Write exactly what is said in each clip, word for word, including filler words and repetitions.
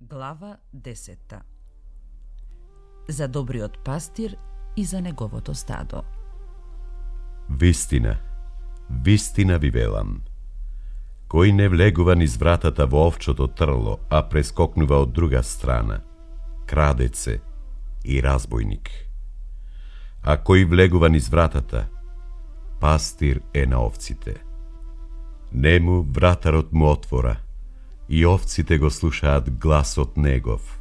Глава десета. За добриот пастир и за неговото стадо. Вистина, вистина ви велам, кој не влегува низ вратата во овчото трло, а прескокнува од друга страна, крадец е и разбойник. А кој влегува низ вратата, пастир е на овците. Нему вратарот му отвора, и овците го слушаат гласот негов.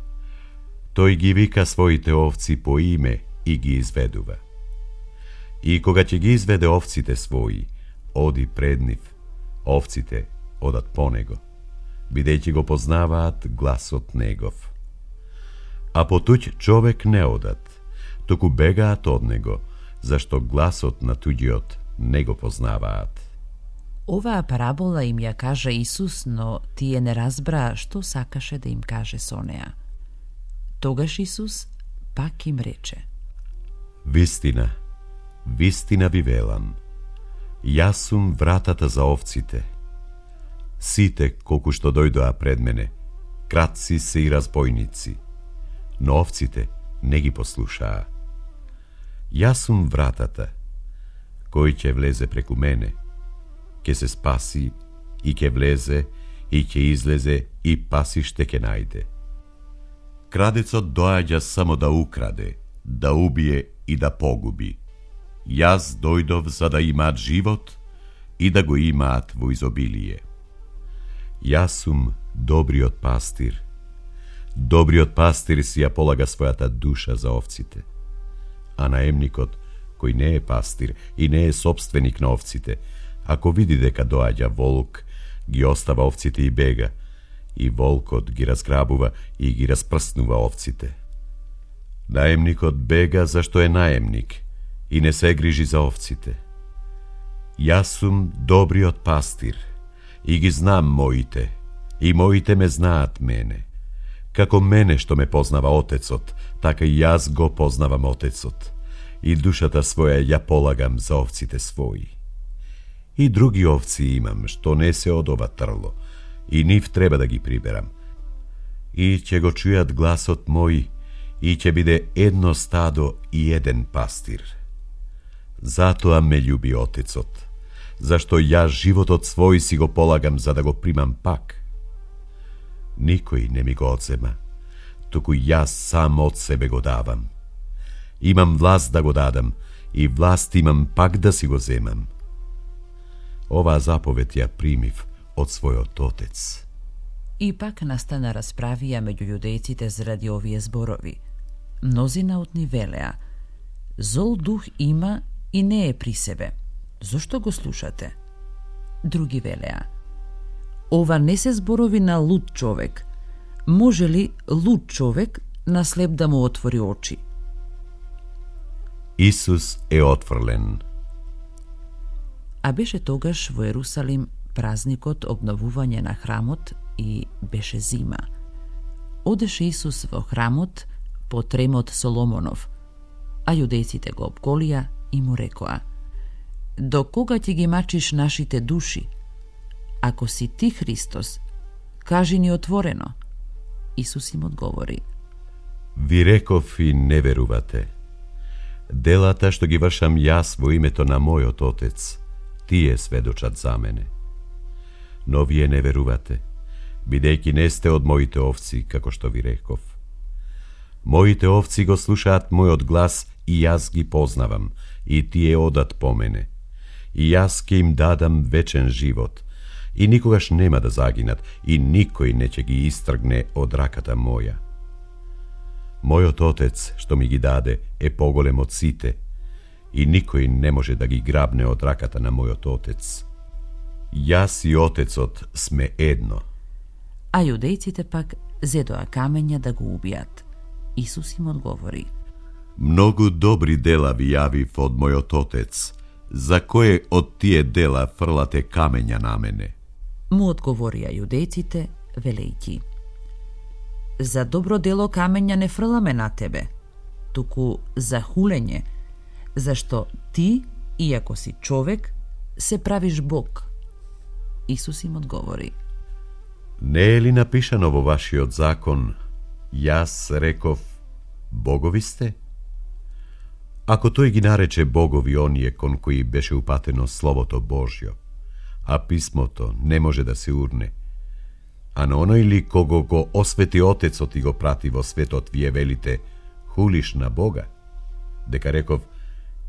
Тој ги вика своите овци по име и ги изведува. И кога ќе ги изведе овците своји, оди пред нив, овците одат по него, бидејќи го познаваат гласот негов. А потуѓ човек не одат, туку бегаат од него, зашто гласот на туѓиот не го познаваат. Оваа парабола им ја кажа Исус, но тие не разбраа што сакаше да им каже со неа. Тогаш Исус пак им рече: Вистина, вистина ви велам, јас сум вратата за овците. Сите колку што дојдоа пред мене, кратци се и разбойници, но овците не ги послушаа. Јас сум вратата, кој ќе влезе преку мене, ќе се спаси и ќе влезе и ќе излезе и пасиште ќе најде. Крадецот доаѓа само да украде, да убие и да погуби. Јас дојдов за да имаат живот и да го имаат во изобилие. Јас сум добриот пастир. Добриот пастир си ја полага својата душа за овците. А наемникот, кој не е пастир и не е собственик на овците, ако види дека доаѓа волк, ги остава овците и бега, и волкот ги разграбува и ги распрснува овците. Наемникот бега зашто е наемник и не се грижи за овците. Јас сум добриот пастир и ги знам моите, и моите ме знаат мене. Како мене што ме познава Отецот, така и јас го познавам Отецот, и душата своја ја полагам за овците своји. И други овци имам, што не се од ова трло, и нив треба да ги приберам. И ќе го чујат гласот мој, и ќе биде едно стадо и еден пастир. Затоа ме љуби Отецот, зашто јас животот свој си го полагам за да го примам пак. Никој не ми го одзема, туку јас сам од себе го давам. Имам власт да го дадам, и власт имам пак да си го земам. Оваа заповед ја примив од својот Отец. И пак настана расправија меѓу јудејците заради овие зборови. Мнозина од нив велеа: зол дух има и не е при себе. Зошто го слушате? Други велеа: ова не се зборови на луд човек. Може ли луд човек на слеп да му отвори очи? Исус е отфрлен. А беше тогаш во Ерусалим празникот обновување на храмот и беше зима. Одеше Исус во храмот по тремот Соломонов, а јудејците го обколија и му рекоа: до кога ќе ги мачиш нашите души? Ако си ти Христос, кажи ни отворено. Исус им одговори: Ви реков и не верувате. Делата што ги вршам јас во името на мојот Отец, тие сведочат за мене. Но вие не верувате, бидејќи не сте од моите овци, како што ви реков. Моите овци го слушаат мојот глас и јас ги познавам, и тие одат по мене. И јас ќе им дадам вечен живот, и никогаш нема да загинат, и никој не ќе ги истргне од раката моја. Мојот Отец, што ми ги даде, е поголем од сите, и никој не може да ги грабне од раката на мојот Отец. Јас и Отецот сме едно. А јудејците пак зедоа камења да го убијат. Исус им одговори: Многу добри дела ви јавив од мојот Отец, за кое од тие дела фрлате камења на мене? Му одговорија јудејците, велејќи: за добро дело камења не фрламе на тебе, туку за хулење, зашто ти, иако си човек, се правиш Бог. Исус им одговори: Не е ли напишано во вашиот закон, јас реков, богови сте? Ако тој ги нарече богови оние кон кои беше упатено Словото Божјо, а писмото не може да се урне, а на оној ли кого го освети Отецот и го прати во светот, вие велите, хулиш на Бога, дека реков,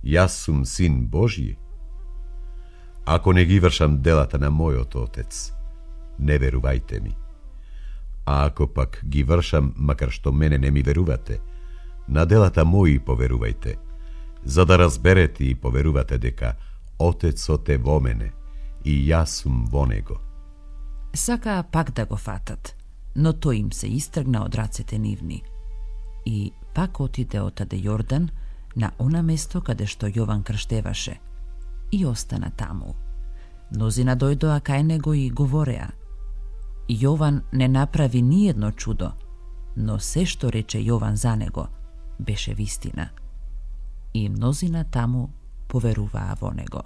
јас сум син Божји? Ако не ги вршам делата на мојот Отец, не верувајте ми. А ако пак ги вршам, макар што мене не ми верувате, на делата мои поверувајте, за да разберете и поверувате дека Отецот е во мене и јас сум во него. Сакаа пак да го фатат, но тој им се истргна од рацете нивни и пак отиде отаде Јордан на она место каде што Јован крштеваше и остана таму. Мнозина дојдоа кај него и говореа. Јован не направи ниедно чудо, но се што рече Јован за него беше вистина. И мнозина таму поверуваа во него.